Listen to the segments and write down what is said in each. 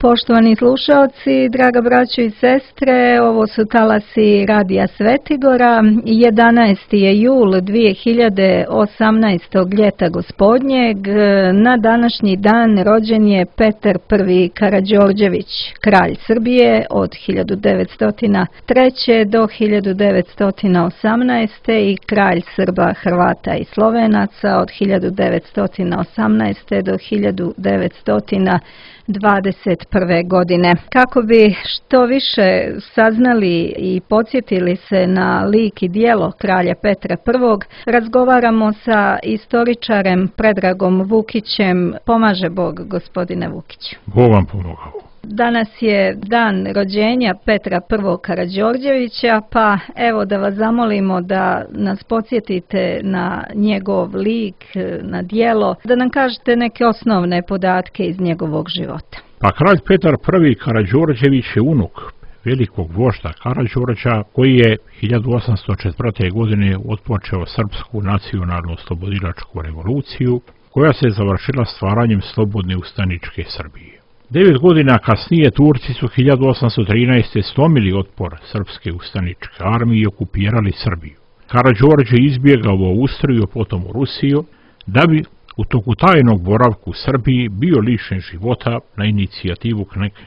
Poštovani slušalci, draga braćo i sestre, ovo su talasi Radija Svetigora. 11. je jul 2018. ljeta gospodnjeg. Na današnji dan rođen je Petar I Karađorđević, kralj Srbije od 1903. do 1918. i kralj Srba, Hrvata i Slovenaca od 1918. do 1921. godine. Kako bi što više saznali i podsjetili se na lik i djelo kralja Petra I, razgovaramo sa istoričarem Predragom Vukićem. Pomaže Bog, gospodine Vukiću. Bog vam pomogao. Danas je dan rođenja Petra I Karađorđevića, pa evo da vas zamolimo da nas podsjetite na njegov lik, na djelo, da nam kažete neke osnovne podatke iz njegovog života. Pa kralj Petar I Karađorđević je unuk velikog vožda Karađorđa, koji je 1804. godine otpočeo srpsku nacionalnu oslobodilačku revoluciju, koja se završila stvaranjem slobodne ustaničke Srbije. 9 godina kasnije Turci su 1813. slomili otpor srpske ustaničke armije i okupirali Srbiju. Karađorđe izbjegao u Austriju, potom u Rusiju, da bi u toku tajnog boravka u Srbiji bio lišen života na inicijativu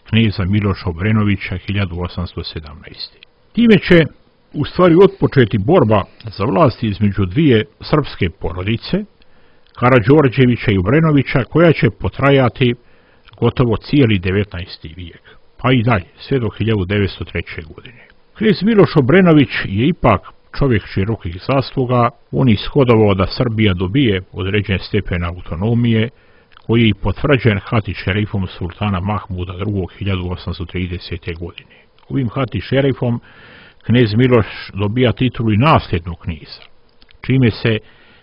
kneza Miloša Obrenovića 1817. Time će u stvari otpočeti borba za vlast između dvije srpske porodice, Karađorđevića i Obrenovića, koja će potrajati gotovo cijeli 19. vijek, pa i dalje, sve do 1903. godine. Knez Miloš Obrenović je ipak čovjek širokih zasluga. On je ishodovao da Srbija dobije određen stepen autonomije, koji je i potvrđen hati šerifom sultana Mahmuda II. 1830. godine. Ovim hati šerifom knez Miloš dobija titulu i nasljednog kneza, čime se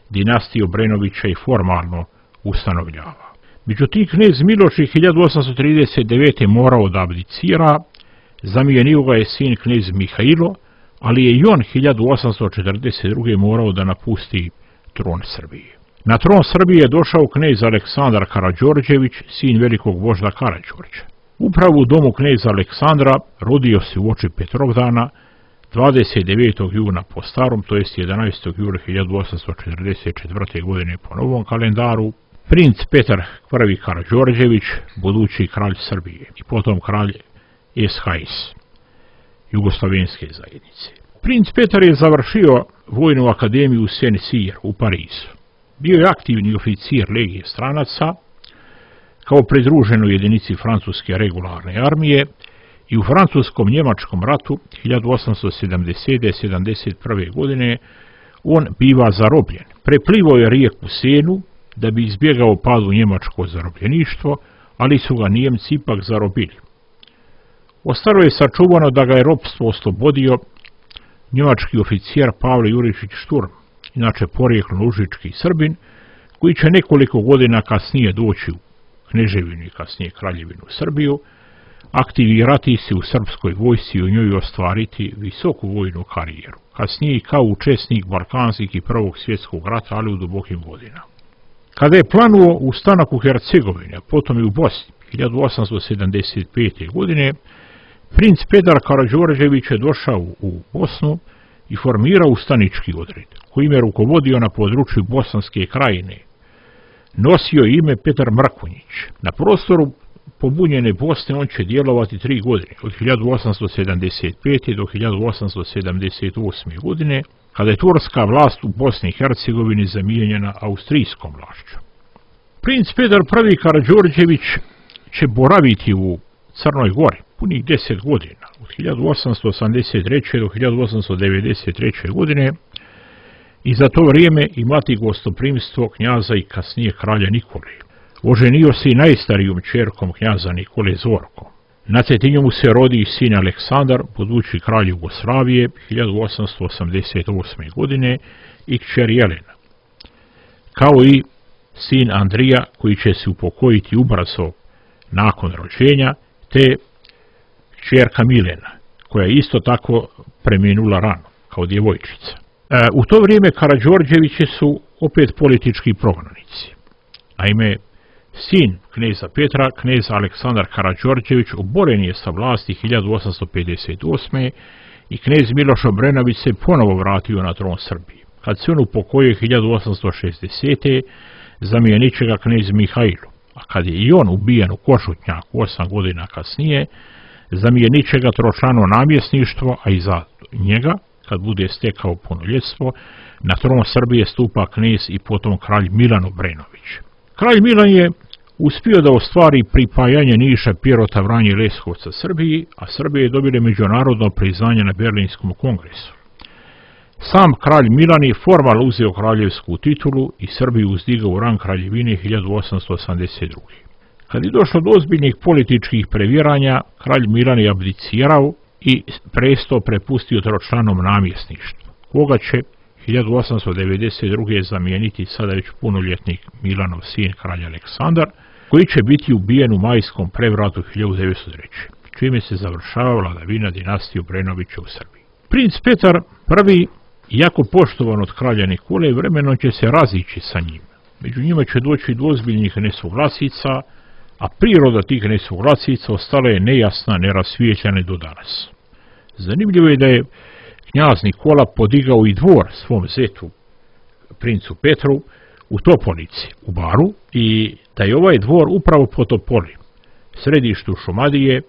dinastija Obrenovića i formalno ustanovljava. Međutim, knez Miloš je 1839. morao da abdicira, zamijenio ga je sin knez Mihailo, ali je i on 1842. morao da napusti tron Srbije. Na tron Srbije je došao knez Aleksandar Karađorđević, sin velikog vožda Karađorđa. Upravo u domu kneza Aleksandra rodio se uoči Petrovdana 29. juna po starom, to jest 11. jula 1844. godine po novom kalendaru, princ Petar I Karađorđević, budući kralj Srbije i potom kralj SHS, Jugoslavenske zajednice. Princ Petar je završio vojnu akademiju Saint-Cyr u Parizu. Bio je aktivni oficir legije stranaca kao pridruženoj jedinici francuske regularne armije i u francuskom-njemačkom ratu 1870-71. godine on biva zarobljen. Preplivao je rijeku Senu da bi izbjegao pad u njemačko zarobljeništvo, ali su ga Nijemci ipak zarobili. Ostalo je sačuvano da ga je ropstvo oslobodio njemački oficer Pavle Jurišić Šturm, inače porijeklom užički Srbin, koji će nekoliko godina kasnije doći u kneževinu i kasnije kraljevinu Srbiju, aktivirati se u srpskoj vojsci i u njoj ostvariti visoku vojnu karijeru. Kasnije i kao učesnik Balkanskih i Prvog svjetskog rata, ali u dubokim godinama. Kada je planuo ustanak u Hercegovini, a potom i u Bosni, 1875. godine, princ Petar Karađorđević je došao u Bosnu i formirao ustanički odred, kojim je rukovodio na području Bosanske krajine. Nosio ime Petar Mrkonjić. Na prostoru pobunjene Bosne on će djelovati 3 godine, od 1875. do 1878. godine, kada je turska vlast u Bosni i Hercegovini zamijenjena austrijskom vlašću. Princ Petar I Karađorđević će boraviti u Crnoj Gori punih 10 godina, od 1883. do 1893. godine, i za to vrijeme imati gostoprimstvo knjaza i kasnije kralja Nikole. Oženio se i najstarijom ćerkom knjaza Nikole Zorkom. Na Cetinju mu se rodi sin Aleksandar, budući kralj Jugoslavije, 1888. godine, i kćer Jelena, kao i sin Andrija, koji će se upokojiti ubrzo nakon rođenja, te kćerka Milena, koja je isto tako preminula rano, kao djevojčica. U to vrijeme Karađorđevići su opet politički prognanici. Naime, Sin kneza Petra, knez Aleksandar Karađorđević, oboren je sa vlasti 1858. i knez Miloš Obrenović se ponovo vratio na tron Srbije. Kad se on upokojio 1860. zamijenit će ga knez Mihajlo, a kad je i on ubijen u Košutnjaku 8 godina kasnije, zamijenit će ga tročlano namjesništvo, a iza njega, kad bude stekao punoljetstvo, na tron Srbije stupa knez i potom kralj Milan Obrenović. Kralj Milan je uspio da ostvari pripajanje Niša, Pirota, Vranje i Leskovca Srbiji, a Srbije je dobile međunarodno priznanje na Berlinskom kongresu. Sam kralj Milan je formalno uzeo kraljevsku titulu i Srbiju uzdigao u rang kraljevine 1882. Kad je došlo do ozbiljnih političkih previranja, kralj Milan je abdicirao i presto prepustio tročlanom namjesništvu, koga će 1892. zamijeniti sada već punoljetnik Milanov sin kralj Aleksandar, koji će biti ubijen u majskom prevratu 1903. čime se završava vladavina dinastije Obrenovića u Srbiji. Princ Petar I, iako poštovan od kralja Nikole, vremenom će se razići sa njim. Među njima će doći do ozbiljnih nesuglasica, a priroda tih nesuglasica ostala je nejasna, nerasvijetljena do danas. Zanimljivo je da je knjaz Nikola podigao i dvor svom zetu, princu Petru, u Topolici, u Baru, i da je ovaj dvor upravo po Topoli, središtu Šumadije,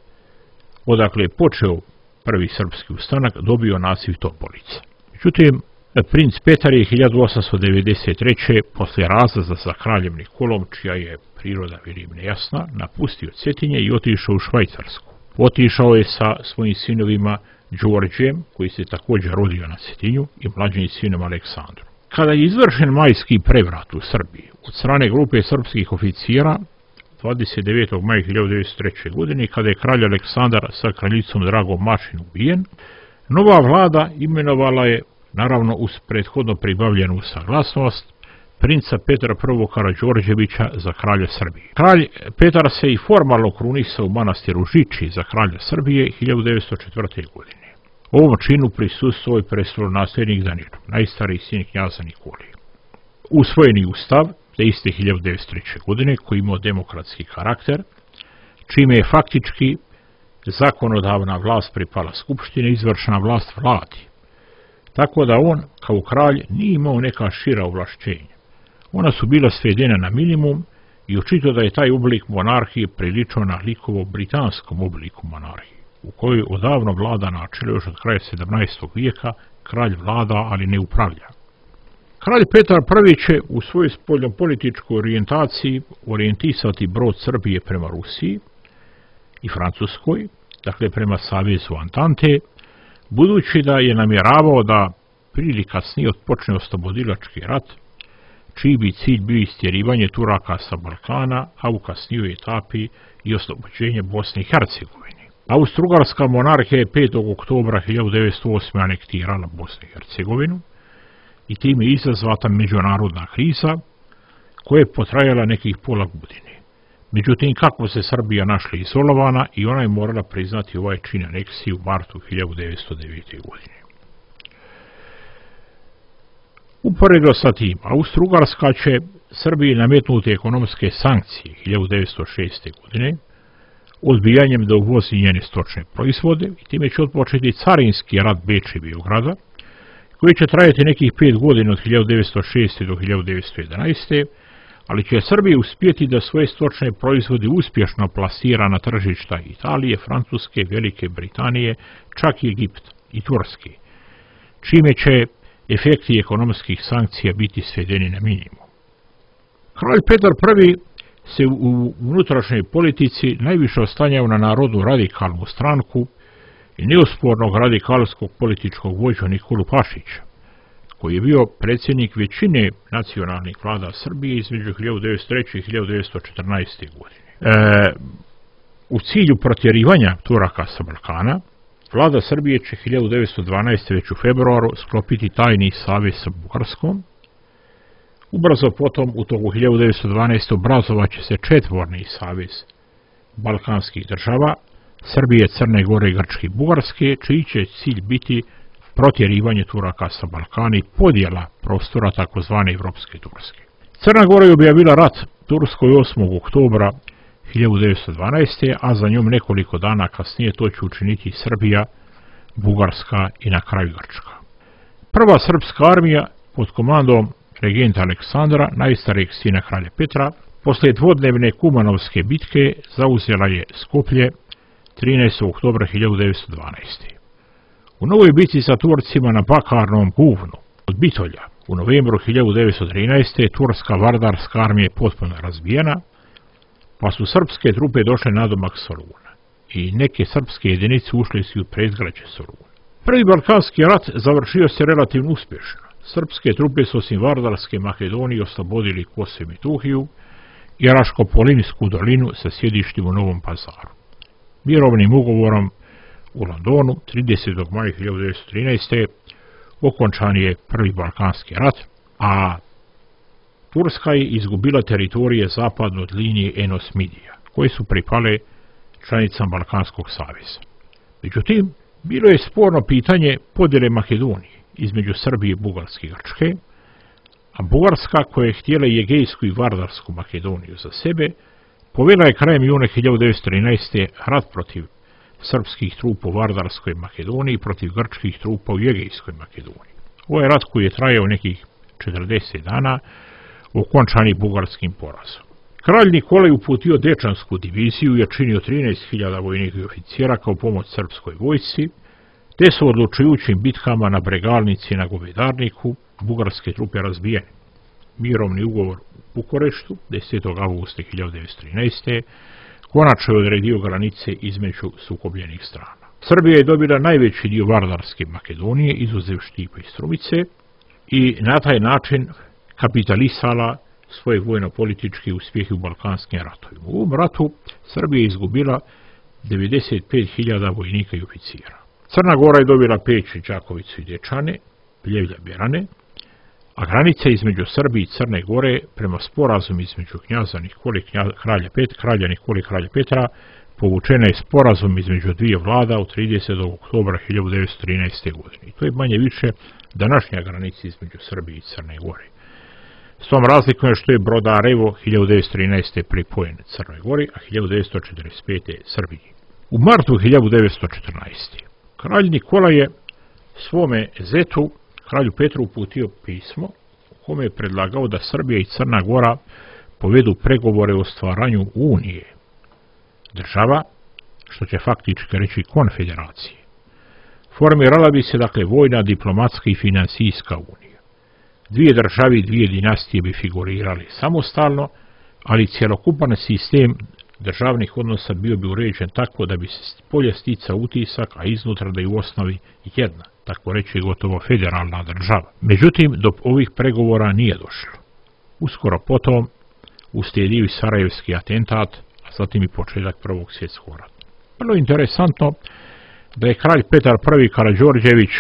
odakle je počeo prvi srpski ustanak, dobio naziv Topolica. Međutim, princ Petar je 1893. posle razlaza sa kraljem Nikolom, čija je priroda vidim nejasna, napustio Cetinje i otišao u Švajcarsku. Otišao je sa svojim sinovima Đorđem, koji se također rodio na Cetinju, i mlađim sinom Aleksandrom. Kada je izvršen majski prevrat u Srbiji od strane grupe srpskih oficira 29. maja 1903. godine, kada je kralj Aleksandar sa kraljicom Dragom Mašin ubijen, nova vlada imenovala je, naravno uz prethodno pribavljenu saglasnost, princa Petra I. Karađorđevića za kralja Srbije. Kralj Petar se i formalno krunisao u manastiru Žiči za kralja Srbije 1904. godine. Ovom činu prisustvovao je prestolonasljednik Danilo, najstariji sin knjaza Nikole. Usvojeni ustav te iste 1903. godine, koji imao demokratski karakter, čime je faktički zakonodavna vlast pripala skupštine, izvršna vlast vladi. Tako da on, kao kralj, nije imao neka šira ovlašćenja. Ona su bila svedena na minimum i očito da je taj oblik monarhije priličio na likovo britanskom obliku monarhije, u kojoj odavno vlada načelo još od kraja 17. vijeka, kralj vlada, ali ne upravlja. Kralj Petar I će u svojoj spoljnopolitičkoj orijentaciji orijentisati brod Srbije prema Rusiji i Francuskoj, dakle prema Savezu Antante, budući da je namjeravao da prije kasnije otpočne oslobodilački rat, čiji bi cilj bio istjerivanje Turaka sa Balkana, a u kasnijoj etapi i oslobođenje Bosne i Hercegovine. Austro-Ugarska monarhija je 5. oktobra 1908. anektirala Bosnu i Hercegovinu i time je izazvata međunarodna kriza koja je potrajala nekih pola godine. Međutim, kako se Srbija našla izolovana i ona je morala priznati ovaj čin aneksije u martu 1909. godine. Uporedo sa tim, Austro-Ugarska će Srbiji nametnuti ekonomske sankcije 1906. godine, odbijanjem da uvozi njene stočne proizvode, i time će otpočeti carinski rat Beča i Beograda, koji će trajati nekih 5 godina od 1906. do 1911. ali će Srbija uspjeti da svoje stočne proizvode uspješno plasira na tržišta Italije, Francuske, Velike Britanije, čak i Egipta i Turske, čime će efekti ekonomskih sankcija biti svedeni na minimum. Kralj Petar I se u unutrašnjoj politici najviše oslanjao na narodnu radikalnu stranku i neospornog radikalskog političkog vođu Nikolu Pašića, koji je bio predsjednik većine nacionalnih vlada Srbije između 1903. i 1914. godine. U cilju protjerivanja Turaka sa Balkana, vlada Srbije će 1912. već u februaru sklopiti tajni savez sa Bugarskom. Ubrzo potom, u toku 1912. obrazovat će se četvorni savez balkanskih država, Srbije, Crne Gore, Grčke i Bugarske, čiji će cilj biti protjerivanje Turaka sa Balkana i podjela prostora tzv. Evropske Turske. Crna Gora je objavila rat Turskoj 8. oktobra 1912. a za njom nekoliko dana kasnije to će učiniti Srbija, Bugarska i na kraju Grčka. Prva srpska armija pod komandom regenta Aleksandra, najstarijeg sina kralja Petra, posle dvodnevne Kumanovske bitke zauzela je Skoplje 13. oktobra 1912. U novoj bitci sa Turcima na Bakarnom buvnu od Bitolja u novembru 1913. turska vardarska armija je potpuno razbijena, pa su srpske trupe došle nadomak Soluna i neke srpske jedinice ušle su u predgrađe Soluna. Prvi Balkanski rat završio se relativno uspješno. Srpske trupe su osim Vardarske Makedonije oslobodili Kosovo i Metohiju i Raško-Polinsku dolinu sa sjedištem u Novom Pazaru. Mirovnim ugovorom u Londonu 30. maja 1913. okončan je Prvi Balkanski rat, a Turska je izgubila teritorije zapadno od linije Enos-Midija, koje su pripale članicama Balkanskog saveza. Međutim, bilo je sporno pitanje podjele Makedonije između Srbije, Bugarske i Grčke, a Bugarska, koja je htjela i Egejsku i Vardarsku Makedoniju za sebe, povela je krajem juna 1913. rat protiv srpskih trupa u Vardarskoj Makedoniji protiv grčkih trupa u Egejskoj Makedoniji. Ovo je rat koji je trajao nekih 40 dana, okončan je bugarskim porazom. Kralj Nikolaj uputio Dečansku diviziju i činio 13.000 vojnika i oficira kao pomoć srpskoj vojsci, te su odlučujućim bitkama na Bregalnici i na Govedarniku bugarske trupe razbijene. Mirovni ugovor u Bukureštu 10. augusta 1913. konačno je odredio granice između sukobljenih strana. Srbija je dobila najveći dio Vardarske Makedonije, izuzev Štipa i Strumice, i na taj način kapitalisala svoje vojno-političke uspjehe u Balkanskim ratovima. U ovom ratu Srbija je izgubila 95.000 vojnika i oficira. Crna Gora je dobila Peć, Đakovicu i Dečane, Pljevlja, Berane, a granica između Srbije i Crne Gore prema sporazumu između knjaza Nikole kralja Nikole kralja Petra povučena je sporazum između dvije vlada od 30. oktobra 1913. godine. I to je manje više današnja granica između Srbije i Crne Gore. S tom razlikom je što je Brodarevo 1913. pripojen Crnoj Gori, a 1945. Srbiji. U martu 1914. kralj Nikola je svome zetu, kralju Petru, uputio pismo u kome je predlagao da Srbija i Crna Gora povedu pregovore o stvaranju unije država, što će faktički reći konfederacije. Formirala bi se dakle vojna, diplomatska i finansijska unija. Dvije države i dvije dinastije bi figurirali samostalno, ali cjelokupan sistem državnih odnosa bio bi uređen tako da bi se polje sticao utisak, a iznutra da je u osnovi jedna, tako reći gotovo federalna država. Međutim, do ovih pregovora nije došlo. Uskoro potom uslijedio i Sarajevski atentat, a zatim i početak Prvog svjetskog rata. Vrlo interesantno da je kralj Petar I Karađorđević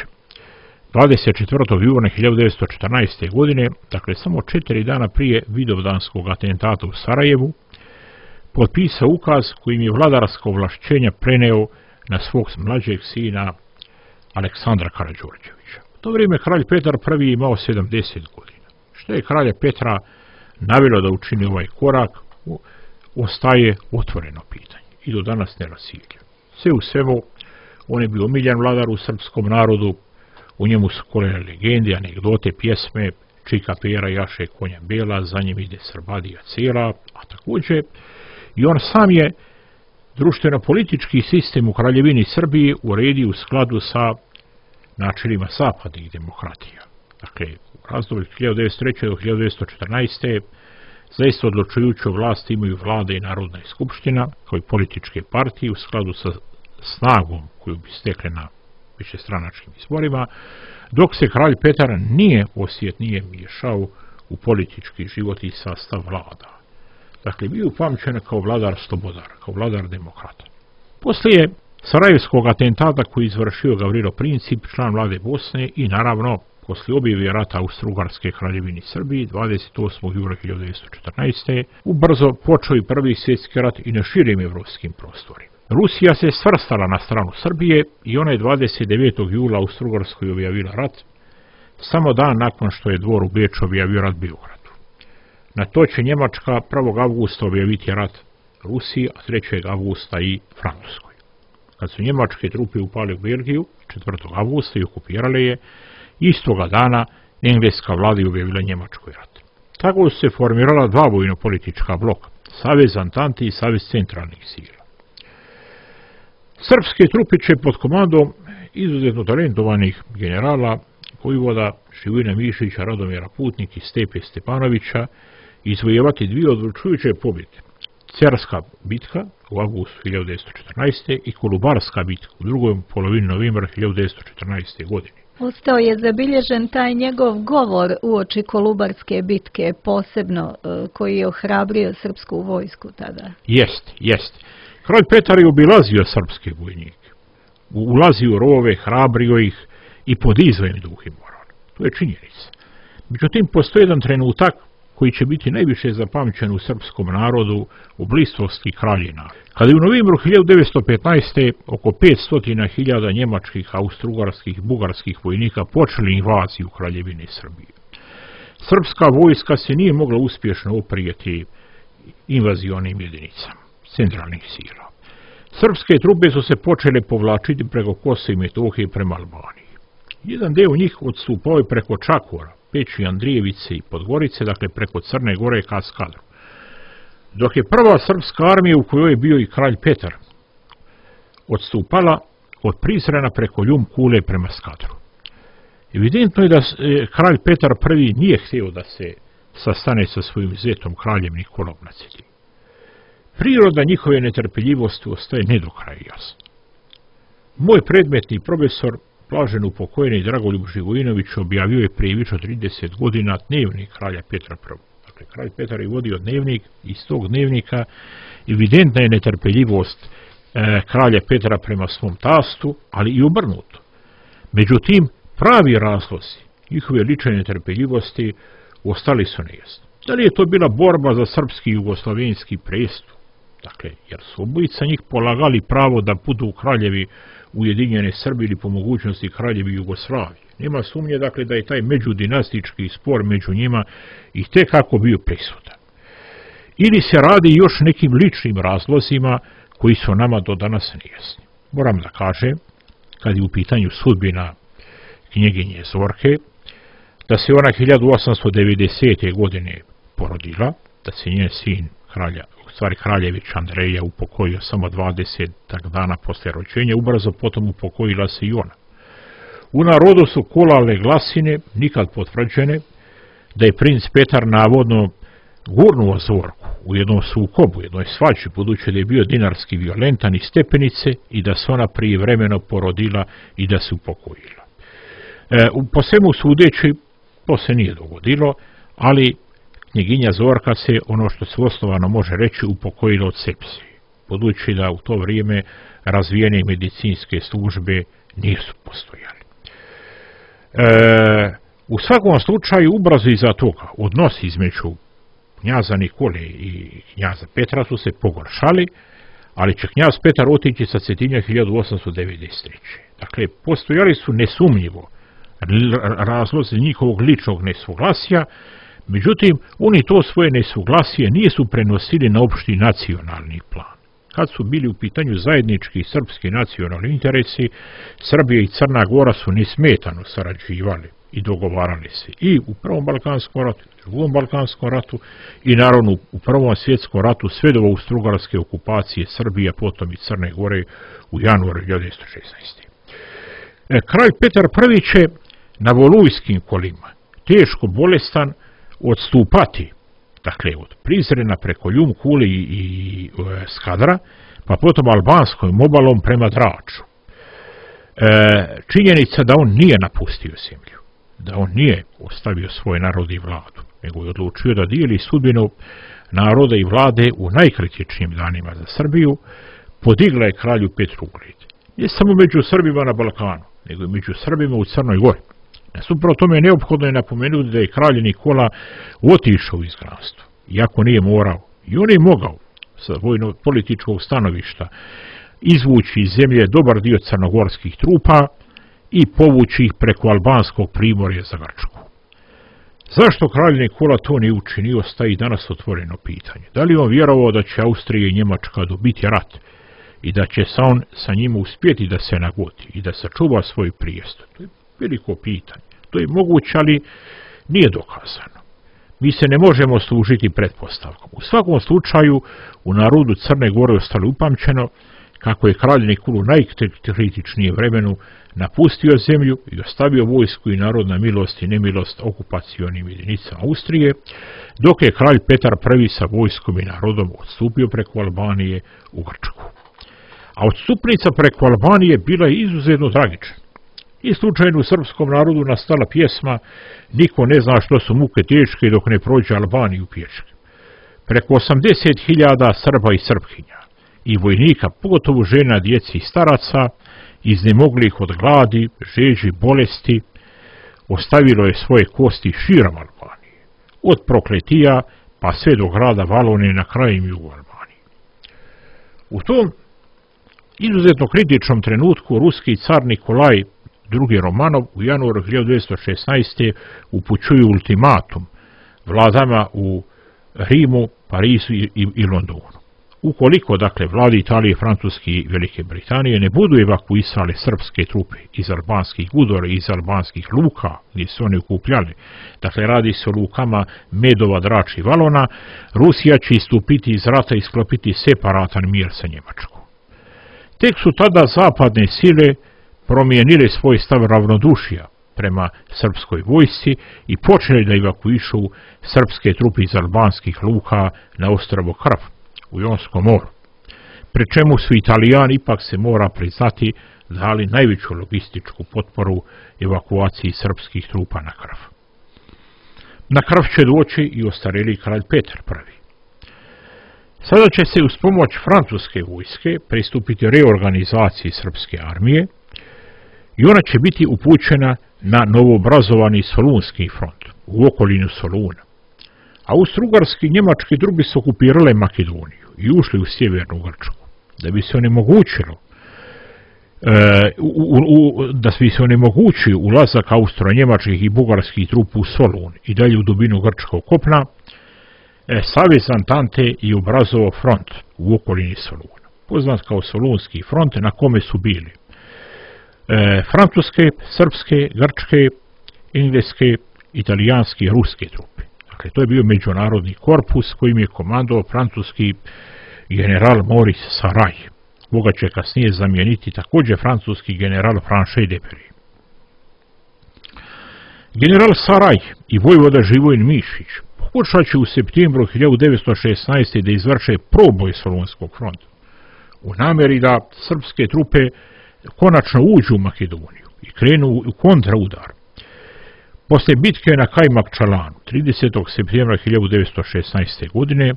24. juna 1914. godine, dakle samo 4 dana prije Vidovdanskog atentata u Sarajevu, potpisao ukaz kojim je vladarska ovlašćenja preneo na svog mlađeg sina Aleksandra Karađorđevića. U to vrijeme kralj Petar I imao 70 godina. Što je kralja Petra navelo da učini ovaj korak, ostaje otvoreno pitanje i do danas nerasivljivo. Sve u svemu, on je bio omiljen vladar u srpskom narodu, u njemu su kolene legende, anegdote, pjesme, Čika Pera jaše konja bela, za njim ide Srbadija cijela, a također i on sam je društveno-politički sistem u Kraljevini Srbiji uredio u skladu sa načelima zapadnih demokratija. Dakle, u razdoblju 1903. do 1914. zaista odlučujuću vlast imaju vlada i Narodna skupština, kao i političke partije u skladu sa snagom koju bi stekle na višestranačkim izborima, dok se kralj Petar nije miješao u politički život i sastav vlada. Dakle, bio upamćen kao vladar slobodar, kao vladar demokrata. Poslije Sarajevskog atentata koji izvršio Gavrilo Princip, član vlade Bosne, i naravno poslije objave rata Austro-Ugarske kraljevini Srbiji 28. juna 1914. ubrzo počeo i Prvi svjetski rat i na širim evropskim prostorima. Rusija se svrstala na stranu Srbije i ona je 29. jula Austro-Ugarskoj objavila rat, samo dan nakon što je dvor u Beču objavio rat Beogradu. Na to će Njemačka 1. avgusta objaviti rat Rusiji, a 3. avgusta i Francuskoj. Kad su njemačke trupe upale u Belgiju 4. avgusta i okupirale je, istoga dana engleska vlada je objavila Njemačkoj rat. Tako su se formirala dva vojno-politička bloka, Savez Antante i Savez centralnih sila. Srpske trupe će pod komandom izuzetno talentovanih generala vojvoda Živojina Mišića, Radomira Putnika i Stepe Stepanovića izvojevati dvije odlučujuće pobjede. Cerska bitka u avgustu 1914. i Kolubarska bitka u drugoj polovini novembra 1914. godine. Ostao je zabilježen taj njegov govor uoči Kolubarske bitke, posebno koji je ohrabrio srpsku vojsku tada. Jest. Kralj Petar je obilazio srpske vojnike. Ulazio u rovove, hrabrio ih i podizao im duh i moral. To je činjenica. Međutim, postoji jedan trenutak koji će biti najviše zapamćen u srpskom narodu u bliskosti kraljina. Kada je u novembru 1915. oko 500.000 njemačkih, austrougarskih, bugarskih vojnika počeli invaziju Kraljevine Srbije. Srpska vojska se nije mogla uspješno oprijeti invazionim jedinicama centralnih sila. Srpske trupe su se počele povlačiti preko Kosova i Metohije prema Albaniji. Jedan deo njih odstupao je preko Čakora, Peći, Andrijevice i Podgorice, dakle preko Crne Gore ka Skadru. Dok je prva srpska armija, u kojoj je bio i kralj Petar, odstupala od Prizrena preko Ljum Kule prema Skadru. Evidentno je da kralj Petar I nije htio da se sastane sa svojim zetom kraljem Nikolom na Cetinju. Priroda njihove netrpeljivosti ostaje ne do kraja jasna. Moj predmetni profesor, blažen upokojeni Dragoljub Živojinović, objavio je prije više od 30 godina dnevnik kralja Petra I. Dakle, kralj Petar je vodio dnevnik, iz tog dnevnika evidentna je netrpeljivost kralja Petra prema svom tastu, ali i obrnuto. Međutim, pravi razlozi njihove lične netrpeljivosti ostali su nejasni. Da li je to bila borba za srpski i jugoslavenski prestup? Dakle, jer su obojica njih polagali pravo da budu kraljevi Ujedinjene Srbije ili po mogućnosti kraljevi Jugoslavije. Nema sumnje, dakle, da je taj međudinastički spor među njima i tekako bio prisutan. Ili se radi još nekim ličnim razlozima koji su nama do danas nejasni. Moram da kažem, kad je u pitanju sudbina knjeginje Zorke, da se ona 1890. godine porodila, da se njen sin kraljević Andreja upokojio samo 20 dana posle rođenja, ubrzo potom upokojila se i ona. U narodu su kolale glasine, nikad potvrđene, da je princ Petar navodno gurnuo Zorku u jednom sukobu, u jednoj svađi, budući da je bio dinarski violentan iz stepenice i da se ona prijevremeno porodila i da se upokojila. Po svemu sudeći, to se nije dogodilo, ali knjeginja Zorka se, ono što se osnovano može reći, upokojila od sepsije, budući da u to vrijeme razvijene medicinske službe nisu postojali. U svakom slučaju, ubrzo iza toga odnosi između knjaza Nikole i knjaza Petra su se pogoršali, ali će knjaz Petar otići sa Cetinja 1893. Dakle, postojali su nesumnjivo razlozi njihovog ličnog nesuglasja, međutim, oni to svoje nesuglasije nisu prenosili na opšti nacionalni plan. Kad su bili u pitanju zajednički srpski nacionalni interesi, Srbija i Crna Gora su nesmetano sarađivali i dogovarali se i u Prvom Balkanskom ratu, i u Drugom Balkanskom ratu i naravno u Prvom svjetskom ratu sve do austrougarske okupacije Srbije, potom i Crne Gore u januaru 1916. Kralj Petar I će na volujskim kolima, teško bolestan, odstupati, dakle od Prizrena preko Ljum Kule i Skadra, pa potom albanskom obalom prema Draču. Činjenica da on nije napustio zemlju, da on nije ostavio svoj narod i vladu, nego je odlučio da dijeli sudbinu naroda i vlade u najkritičnijim danima za Srbiju, podigla je kralju Petru ugled. Ne samo među Srbima na Balkanu, nego i među Srbima u Crnoj Gori. Nasuprot tome neophodno je napomenuti da je kralj Nikola otišao u izgnanstvo, iako nije morao. I on je mogao sa vojno-političkog stanovišta izvući iz zemlje dobar dio crnogorskih trupa i povući ih preko albanskog primorja za Grčku. Zašto kralj Nikola to nije učinio, staje danas otvoreno pitanje. Da li on vjerovao da će Austrija i Njemačka dobiti rat i da će se on sa njima uspjeti da se nagodi i da sačuva svoj prijestup? To je veliko pitanje. To je moguće, ali nije dokazano. Mi se ne možemo služiti pretpostavkom. U svakom slučaju, u narodu Crne Gore ostalo upamćeno kako je kralj Nikola u najkritičnijem vremenu napustio zemlju i ostavio vojsku i narod na milost i nemilost okupacionim jedinicama Austrije, dok je kralj Petar I sa vojskom i narodom odstupio preko Albanije u Grčku. A odstupnica preko Albanije bila je izuzetno tragična. I slučajno u srpskom narodu nastala pjesma "Niko ne zna što su muke teške dok ne prođe Albaniju pješke". Preko 80.000 Srba i Srpkinja i vojnika, pogotovo žena, djeci i staraca, iznemoglih od gladi, žeđi, bolesti, ostavilo je svoje kosti širom Albanije, od Prokletija pa sve do grada Valone na krajem jugu Albanije. U tom izuzetno kritičnom trenutku ruski car Nikolaj II. Romanov u januaru 1916. upućuje ultimatum vladama u Rimu, Parizu i Londonu. Ukoliko, dakle, vlade Italije, Francuske i Velike Britanije ne budu evakuisale srpske trupe iz albanskih gudora i iz albanskih luka gdje su oni okupljali, dakle, radi se o lukama Medova, Drač i Valona, Rusija će istupiti iz rata i sklopiti separatan mir sa Njemačkom. Tek su tada zapadne sile promijenile svoj stav ravnodušja prema srpskoj vojsci i počeli da evakuišu srpske trupe iz albanskih luka na ostrvo Krf u Jonskom moru, pri čemu su Italijani, ipak se mora priznati, dali najveću logističku potporu evakuaciji srpskih trupa na Krf. Na Krf će doći i ostarjeli kralj Petar I. Sada će se uz pomoć francuske vojske pristupiti reorganizaciji srpske armije i ona će biti upućena na novoobrazovani Solunski front u okolinu Soluna. Austro-ugarski i njemački trupe su okupirale Makedoniju i ušli u sjevernu Grčku, da bi se onemogućio ulazak austro-njemačkih i bugarskih trupa u Solun i dalje u dubinu grčkog kopna. Savez Antante je obrazovao front u okolini Soluna, poznat kao Solunski front, na kome su bili francuske, srpske, grčke, engleske, italijanske i ruske trupe. Dakle, to je bio međunarodni korpus kojim je komandovao francuski general Maurice Saraj. Koga će kasnije zamijeniti također francuski general Franchet Depery. General Saraj i vojvoda Živojin Mišić pokušat će u septembru 1916. da izvrše proboj Solunskog fronta u namjeri da srpske trupe konačno uđu u Makedoniju i krenu u kontraudar. Poslije bitke na Kajmakčalanu 30. septembra 1916. godine,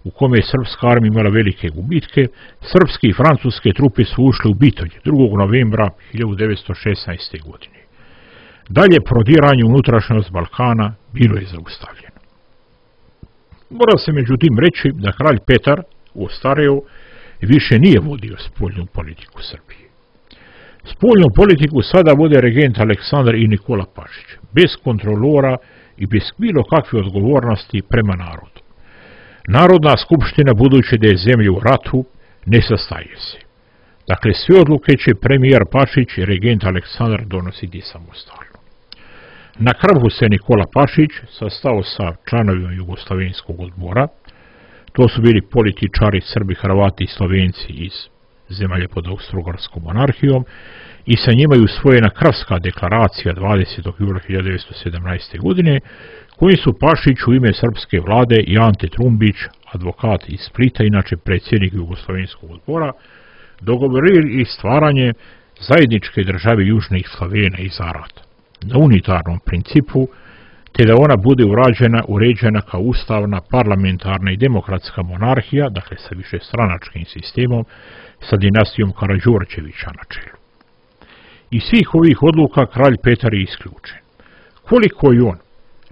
u kome je srpska armija imala velike gubitke, srpske i francuske trupe su ušle u Bitolje 2. novembra 1916. godine. Dalje prodiranje u unutrašnjost Balkana bilo je zaustavljeno. Mora se međutim reći da kralj Petar ostareo više nije vodio spoljnu politiku Srbije. Spoljnu politiku sada vode regent Aleksandar i Nikola Pašić, bez kontrolora i bez bilo kakve odgovornosti prema narodu. Narodna skupština, budući da je zemlja u ratu, ne sastaje se. Dakle, sve odluke će premijer Pašić i regent Aleksandar donositi samostalno. Na Krfu se Nikola Pašić sastao sa članovima Jugoslavenskog odbora. To su bili političari, Srbi, Hrvati i Slovenci iz zemalja pod Austro-ugarskom monarhijom i sa njima je usvojena Krfska deklaracija 20. jula 1917. godine, koji su Pašić u ime srpske vlade i Ante Trumbić, advokat iz Splita, inače predsjednik Jugoslovenskog odbora, dogovorili i stvaranje zajedničke države Južnih Slavena i Zarata na unitarnom principu, te da ona bude uređena kao ustavna, parlamentarna i demokratska monarhija, dakle sa višestranačkim sistemom, sa dinastijom Karađorđevića na čelu. Iz svih ovih odluka kralj Petar je isključen. Koliko je on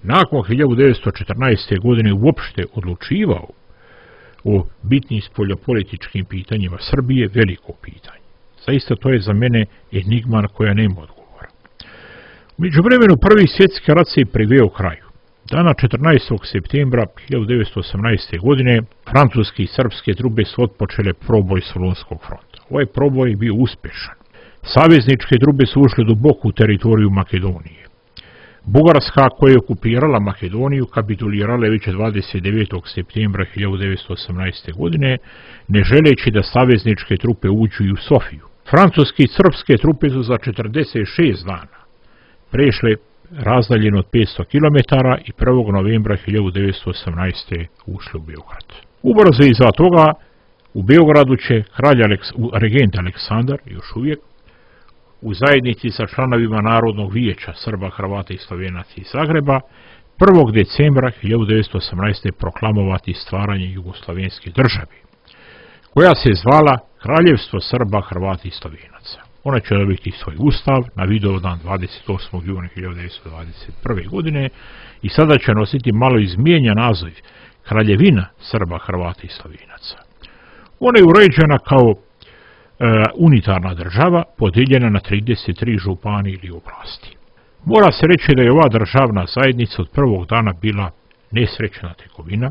nakon 1914. godine uopšte odlučivao o bitnim spoljnopolitičkim pitanjima Srbije, veliko pitanje. Zaista to je za mene enigma koja nema odgovora. U međuvremenu Prvi svjetski rat se priveo kraju. Dana 14. septembra 1918. godine francuske i srpske trupe su otpočele proboj Solunskog fronta. Ovaj proboj je bio uspješan. Savezničke trupe su ušle duboko u teritoriju Makedonije. Bugarska, koja je okupirala Makedoniju, kapitulirala je već 29. septembra 1918. godine, ne želeći da savezničke trupe uđu i u Sofiju. Francuske i srpske trupe su za 46 dana prešle razdaljeno od 500 km i 1. novembra 1918. ušli u Beograd. Ubrzo iza toga u Beogradu će regent Aleksandar, još uvijek, u zajednici sa članovima Narodnog vijeća Srba, Hrvata i Slovenaca iz Zagreba 1. decembra 1918. proklamovati stvaranje Jugoslavenske države, koja se zvala Kraljevstvo Srba, Hrvata i Slovenaca. Ona će dobiti svoj ustav na Vidovdan 28. juna 1921. godine i sada će nositi malo izmijenjen naziv Kraljevina Srba, Hrvata i Slovenaca. Ona je uređena kao unitarna država podijeljena na 33 županije ili oblasti. Mora se reći da je ova državna zajednica od prvog dana bila nesrećna tekovina,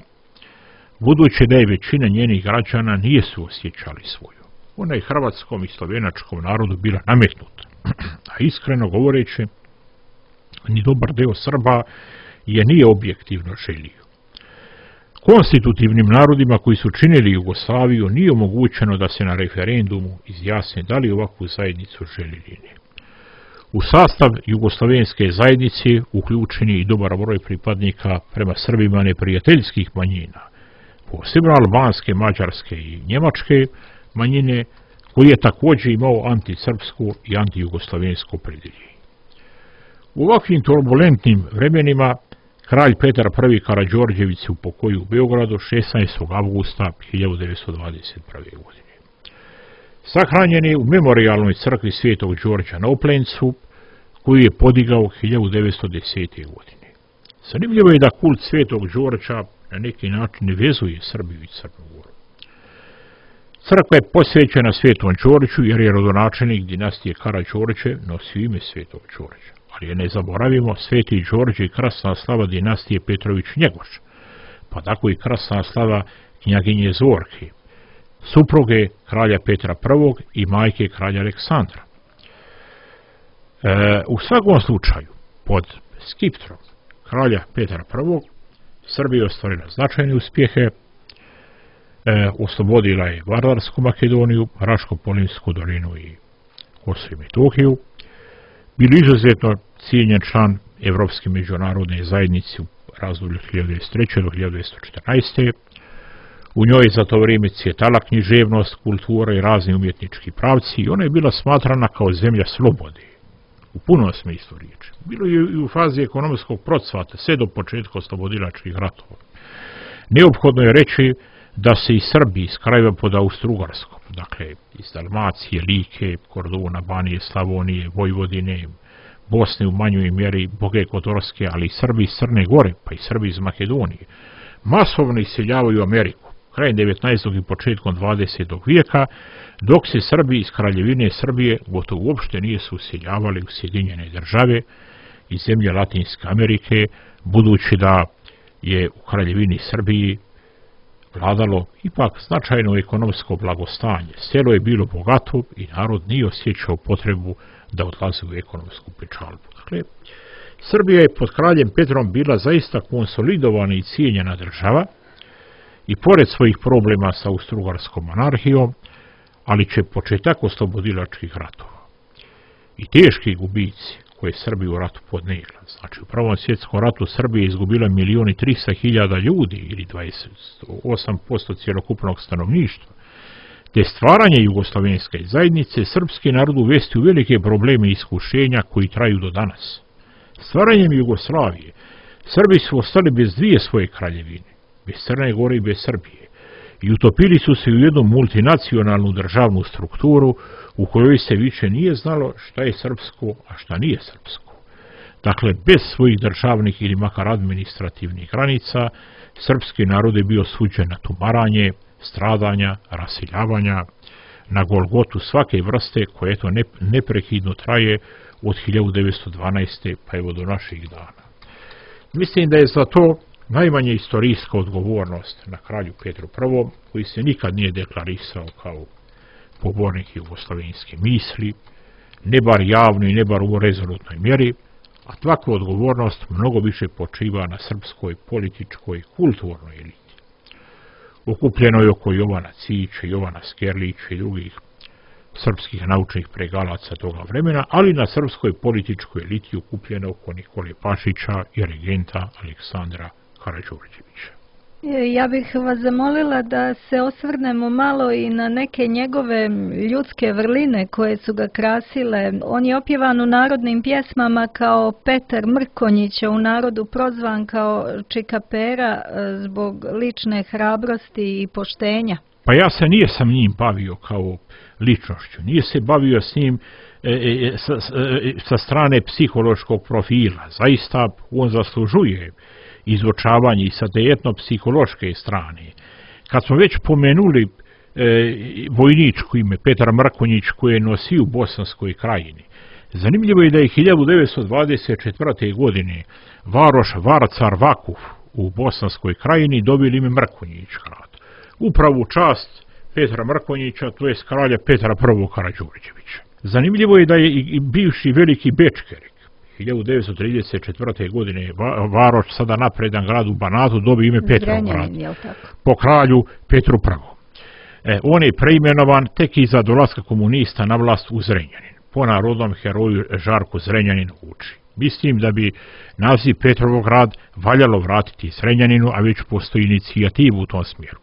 budući da je većina njenih građana nije suosjećali svoju. Ona je hrvatskom i slovenačkom narodu bila nametnuta, a iskreno govoreći, ni dobar deo Srba je nije objektivno želio. Konstitutivnim narodima koji su činili Jugoslaviju nije omogućeno da se na referendumu izjasne da li ovakvu zajednicu želi ili ne. U sastav jugoslavenske zajednice uključen je i dobar broj pripadnika prema Srbima neprijateljskih manjina, posebno albanske, mađarske i njemačke manjine, koji je također imao antisrpsku i antijugoslavensku opredjeljenje. U ovakvim turbulentnim vremenima kralj Petar I. Karađorđević se upokojio u Beogradu 16. avgusta 1921. godine. Sahranjen je u memorijalnoj crkvi Svetog Đorđa na Oplencu, koju je podigao 1910. godine. Zanimljivo je da kult Svetog Đorđa na neki način ne vezuje Srbiju i Crnu Goru. Crkva je posvećena Svetom Đorđu jer je rodonačelnik dinastije Karađorđe nosio ime Svetog Đorđa. Ali ne zaboravimo, Sveti Đorđe i krasna slava dinastije Petrović-Njegoš, pa tako i krasna slava knjaginje Zorke, supruge kralja Petra I. i majke kralja Aleksandra. U svakom slučaju, pod skiptrom kralja Petra I. Srbija je ostvarila značajne uspjehe, oslobodila je Vardarsku Makedoniju, Raško-Polinsku dolinu i Kosovo i Metohiju, bili izuzetno cijenjen član Evropske međunarodne zajednice u razdoblju 1903. do 1914. U njoj za to vrijeme cvjetala književnost, kultura i razni umjetnički pravci i ona je bila smatrana kao zemlja slobode, u punom smislu riječi. Bilo je i u fazi ekonomskog procvata, sve do početka oslobodilačkih ratova. Neophodno je reći da se i Srbi iz krajeva pod Austro-Ugarskom, dakle iz Dalmacije, Like, Korduna, Banije, Slavonije, Vojvodine, Bosne u manjoj mjeri, Boge Kotorske, ali i Srbi iz Crne Gore, pa i Srbi iz Makedonije, masovno iseljavaju u Ameriku, krajem 19. i početkom 20. vijeka, dok se Srbi iz Kraljevine Srbije gotovo uopšte nije se useljavali u Sjedinjene države i zemlje Latinske Amerike, budući da je u Kraljevini Srbiji vladalo ipak značajno ekonomsko blagostanje. Selo je bilo bogato i narod nije osjećao potrebu da odlazi u ekonomsku pečalbu. Dakle, Srbija je pod kraljem Petrom bila zaista konsolidovana i cijenjena država i pored svojih problema sa Austro-Ugarskom monarhijom, ali će početak oslobodilačkih ratova i teški gubici koje Srbija u ratu podnijela. Znači, u Prvom svjetskom ratu Srbija je izgubila 1.300.000 ljudi ili 28% cjelokupnog stanovništva, te stvaranje jugoslavenske zajednice srpski narod uvesti u velike probleme i iskušenja koji traju do danas. Stvaranjem Jugoslavije Srbi su ostali bez dvije svoje kraljevine, bez Crne Gore i bez Srbije, i utopili su se u jednu multinacionalnu državnu strukturu u kojoj se više nije znalo šta je srpsko, a šta nije srpsko. Dakle, bez svojih državnih ili makar administrativnih granica, srpski narod je bio suđen na tumaranje, stradanja, raseljavanja, na golgotu svake vrste koje eto neprekidno traje od 1912. pa evo do naših dana. Mislim da je za to najmanje istorijska odgovornost na kralju Petru I, koji se nikad nije deklarisao kao pobornik jugoslavenske misli, ne bar javno i ne bar u rezolutnoj mjeri, a takva odgovornost mnogo više počiva na srpskoj političkoj kulturnoj eliti, okupljenoj oko Jovana Cića, Jovana Skerlića i drugih srpskih naučnih pregalaca toga vremena, ali na srpskoj političkoj eliti okupljena oko Nikole Pašića i regenta Aleksandra Karađorđevića. Ja bih vas zamolila da se osvrnemo malo i na neke njegove ljudske vrline koje su ga krasile. On je opjevan u narodnim pjesmama kao Petar Mrkonjić, a u narodu prozvan kao Čikapera zbog lične hrabrosti i poštenja. Pa ja se nije sam njim bavio kao ličnošću, nije se bavio s njim sa strane psihološkog profila. Zaista on zaslužuje izučavanje i sa te etnopsihološke strane. Kad smo već pomenuli vojničko ime Petar Mrkonjić koje je nosio u Bosanskoj krajini, zanimljivo je da je 1924. godine varoš Varcar Vakuf u Bosanskoj krajini dobili ime Mrkonjić grad. Upravo u čast Petra Mrkonjića, to je kralja Petra I Karađorđevića. Zanimljivo je da je i bivši veliki Bečkerik 1934. godine varoš, sada napredan grad u Banatu, dobio ime Petrograd po kralju Petru I. On je preimenovan tek iza dolaska komunista na vlast u Zrenjanin. Po narodnom heroju Žarku Zrenjanin uči. Mislim da bi naziv Petrovograd valjalo vratiti Zrenjaninu, a već postoji inicijativu u tom smjeru.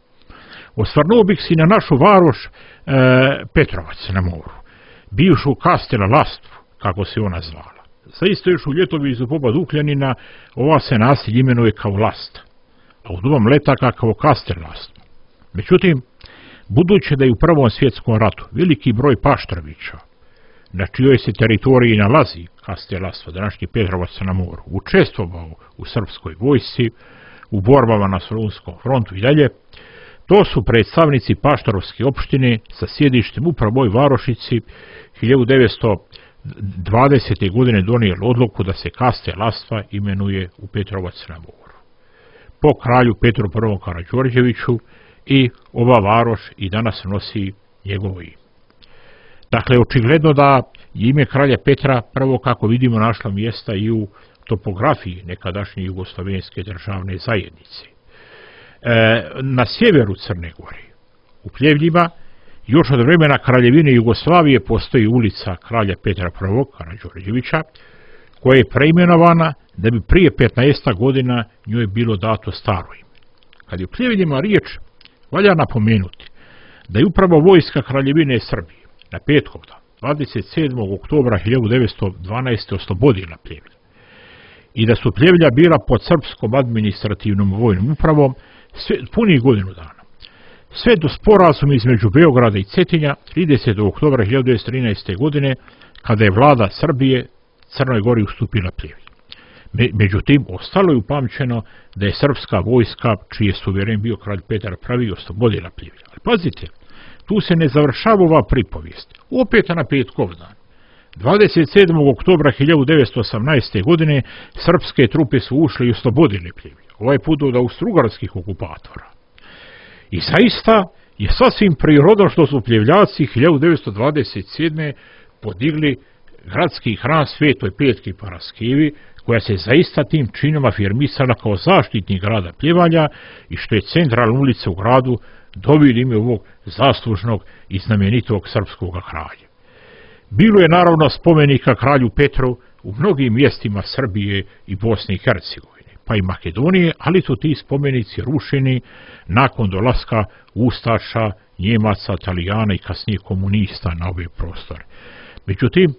Osvrnuo bih se na našu varoš Petrovac na moru, bivšu Kastela Lastvu, kako se ona zvala. Zaista još u ljetovizu poba Dukljanina ova se naselje imenuje kao Lasta, a u dobom letaka kao Kastel Lastvu. Međutim, budući da je u Prvom svjetskom ratu veliki broj Paštrovića, na čijoj se teritoriji nalazi Kastel Lastva, današnji Petrovac na moru, učestvovao u srpskoj vojsci, u borbama na Solunskom frontu i dalje, to su predstavnici Paštorovske opštine sa sjedištem u ovoj varošici 1920. godine donijeli odluku da se Kastel Lastva imenuje u Petrovac na moru. Po kralju Petru I Karađorđeviću i ova varoš i danas nosi njegovo ime. Dakle, očigledno da je ime kralja Petra prvo, kako vidimo, našla mjesta i u topografiji nekadašnje jugoslavenske državne zajednice. Na sjeveru Crne Gore, u Pljevljima, još od vremena Kraljevine Jugoslavije postoji ulica kralja Petra I Karađorđevića, koja je preimenovana da bi prije 15 godina njoj bilo dato staro ime. Kad je u Pljevljima riječ, valja napomenuti da je upravo vojska Kraljevine Srbije na Petkovdan 27. oktobra 1912. oslobodila Pljevlje i da su Pljevlja bila pod srpskom administrativnom vojnom upravom punih godinu dana. Sve do sporazuma između Beograda i Cetinja 30. oktobra 1913. godine, kada je vlada Srbije Crnoj Gori ustupila Pljevlje. Međutim, ostalo je upamćeno da je srpska vojska, čiji je suveren bio kralj Petar I, oslobodila Pljevlje. Ali pazite, tu se ne završava ova pripovijest. Opet na Petkovdan, 27. oktobra 1918. godine, srpske trupe su ušle i oslobodile Pljevlje. Ovaj put od austrougarskih okupatora. I zaista je sasvim prirodno što su Pljevljaci 1927. podigli gradski hram Svetoj Petki Paraskevi, koja se zaista tim činom afirmisala kao zaštitnik grada Pljevalja i što je centralna ulica u gradu dobila ime ovog zaslužnog i znamenitog srpskog kralja. Bilo je naravno spomenika kralju Petru u mnogim mjestima Srbije i Bosne i Hercegovine, pa i Makedonije, ali su ti spomenici rušeni nakon dolaska ustaša, Njemaca, Italijana i kasnije komunista na ove prostore. Međutim,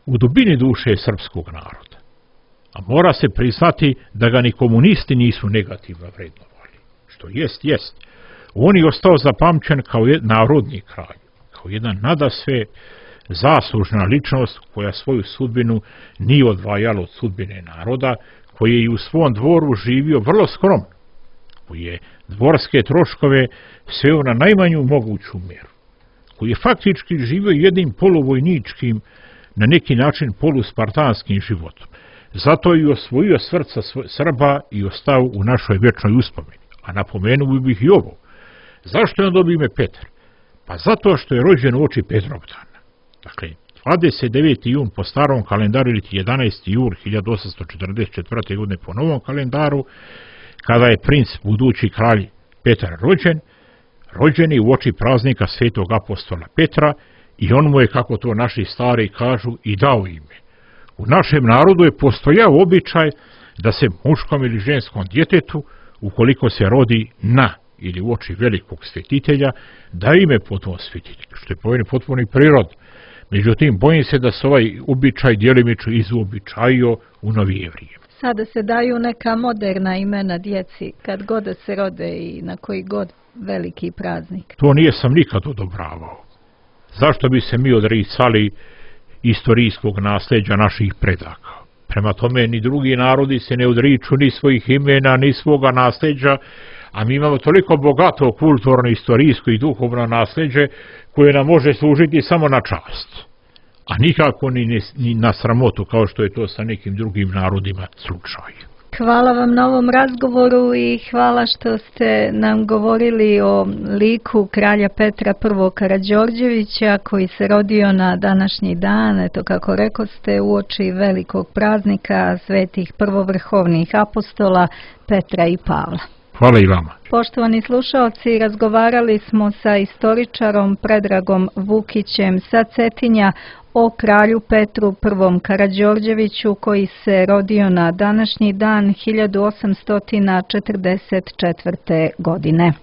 u dubini duše srpskog naroda, a mora se priznati da ga ni komunisti nisu negativno vrednovali, što jest, on je ostao zapamćen kao narodni kralj, kao jedan nadasve zaslužna ličnost koja svoju sudbinu nije odvajala od sudbine naroda, koji je i u svom dvoru živio vrlo skromno, koji je dvorske troškove sveo na najmanju moguću mjeru, koji je faktički živio jednim poluvojničkim, na neki način poluspartanskim životom. Zato i osvojio srca Srba i ostao u našoj vječnoj uspomeni. A napomenuo bih i ovo. Zašto je on dobio ime Petar? Pa zato što je rođen uoči Petrovdana. Dakle, 29. jun po starom kalendaru ili 11. jul 1844. godine po novom kalendaru, kada je princ, budući kralj Petar rođen je uoči praznika svetog apostola Petra i on mu je, kako to naši stari kažu, i dao ime. U našem narodu je postojao običaj da se muškom ili ženskom djetetu, ukoliko se rodi na ili uoči velikog svetitelja, da ime po tom svetitelju, što je potpuno prirod. Međutim, bojim se da se ovaj običaj djelimično izuobičajio u novije vrijeme. Sada se daju neka moderna imena djeci, kad god da se rode i na koji god veliki praznik. To nisam nikad odobravao. Zašto bi se mi odricali istorijskog nasljeđa naših predaka? Prema tome, ni drugi narodi se ne odriču ni svojih imena, ni svoga nasljeđa, a mi imamo toliko bogato kulturno, istorijsko i duhovno nasljeđe koje nam može služiti samo na čast, a nikako ni na sramotu, kao što je to sa nekim drugim narodima slučaj. Hvala vam na ovom razgovoru i hvala što ste nam govorili o liku kralja Petra I. Karađorđevića koji se rodio na današnji dan, eto kako rekoste, uoči velikog praznika svetih prvovrhovnih apostola Petra i Pavla. Hvala i vama. Poštovani slušaoci, razgovarali smo sa istoričarom Predragom Vukićem sa Cetinja o kralju Petru I. Karađorđeviću koji se rodio na današnji dan 1844. godine.